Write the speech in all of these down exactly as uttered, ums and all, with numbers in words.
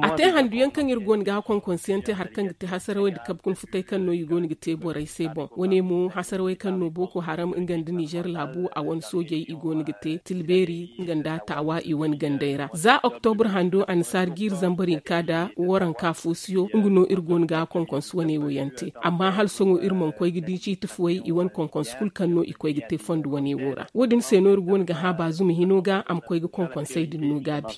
A te handu yaŋ kaŋ iri go no ga konkonsiyaŋ te hari kaŋ ga te hasarawey nda kabe kuna futay kaŋ no i go no ga te borey se boŋ. Wane mo hasarawey kaŋ no booko haram nga nda nizer laabu a wane soojey i go no ga te tilbeeri nga nda taawa i wane gandey ra za oktobur hando annasaari jiiri zambar hinka nda waranka foosiyo nga no iri go no ga konkonsi wane wo yaŋ te. Amma hala sohõ iri mana koy ga di ciiti fuwey i wane konkonsi kulu kaŋ no i koy ga te fondo wane wo ra wo- din se no iri go no ga hã baazuma hino ga a ma koy ga konkonsey din no gaabi.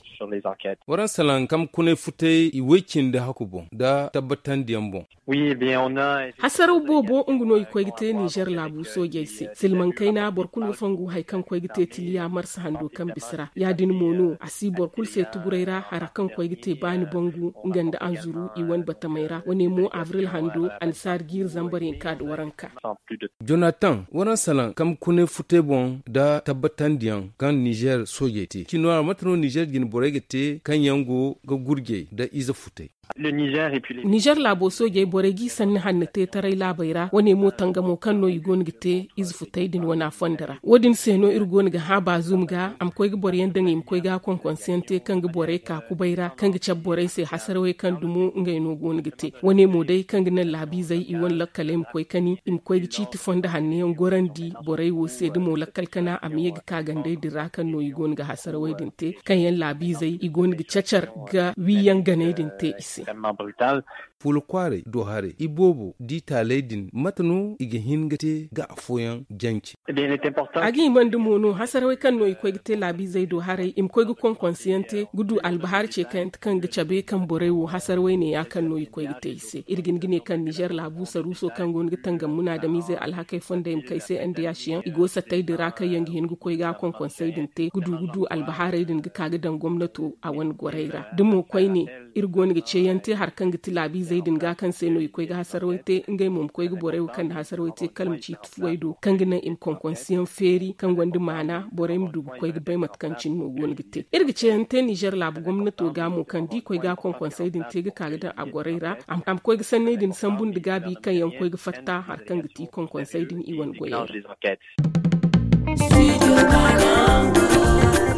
Waransalaŋ kamkunay futay i woy-cindi haku boŋ nda tabbatandiyaŋ boŋ. Hasaraw boobo nga no i koy ga te nizer laabu soojey se silmaŋ kayna boro kulu ga fongu hari kaŋ koy ga te tiliya marsa hando kaŋ bisa ra ya- din mo no a si boro kulu se tuguray ra hari kaŋ koy ga te baani bangu nga nda anzuru i wane batamey ra wane mo abril hando annasaari jiiri zambar hinka nda waranka. Jonatan, waransalaŋ kamkunay futay boŋ nda tabbatandiyaŋ kaŋ nizer soojey te cino ra mate no nizer jine borey ga te kaŋ yaŋ go ga gurjey nda ize futay? Nizer laabo soojey borey g'i sanni hanno te taray laabey ra wane mo tangamo kaŋ no i go no ga te ize futay din wana fondo ra wo- din se no iri go no ga hã baazum ga a ma koy ga boro yaŋ daŋ i ma koy ga konkonsiyaŋ te kaŋ ga borey ka kubay ra kaŋ ga cabe borey se hasarawey kaŋ dumo ngey no go no ga te wane mo day kaŋ ga naŋ laabiizey i wane lakkaley ma koy kani i ma koy ga ciiti fondo hanno yaŋ gorandi borey wo se da mo lakkal kana a ma ye ga ka gandey din ra kaŋ no i go no ga hasarawey din te kaŋ yaŋ laabiizey i go no ga cacar ga wiiyaŋ ganey din te i se. Fuula kwaaray do haray i boobo di taaley din mate no i ga hin ga te ga afooyaŋ jance? A ga hima nda mo no hasarawey kaŋ no i koy ga te laabiizey do haray i ma koy ga konkonsiyaŋ te ga du albahaari ce kayante kaŋ ga cabe kaŋ borey wo hasarawey ne ya kaŋ no i koy ga te i se iri ga hin ga ne kaŋ nizer laabu saruuso kaŋ go no ga tangam munaadamiizey alhakey fondey ma kay se nda yaasiyaŋ i go sattey din ra kaŋ yaŋ ga hin ga koy ga konkonsey din te ga du ga du albahaarey din ga ka ga daŋ gomnato a wane gorey ra da mo koyne iri go no ga ceeyaŋ te hari kaŋ ga ti laabiizey din ga kaŋ se no i koy ga hasarawey te ngey mo ma koy ga borey wo kaŋ na hasarawey te kala ma ciiti fuwey do kaŋ ga naŋ i ma konkonsiyaŋ feeri kaŋ gonda maana borey ma du ga koy ga bay mate kaŋ cine no go no ga te iri ga ceeyaŋ te nizer laabu gomnato ga mo kaŋ da i koy ga konkonsey din te ga ka ga daŋ a gorey ra a ma koy ga sanney din sambu nda gaabi kaŋ yaŋ koy ga fatta hari kaŋ ga ti konkonsey din i wane goyey ra.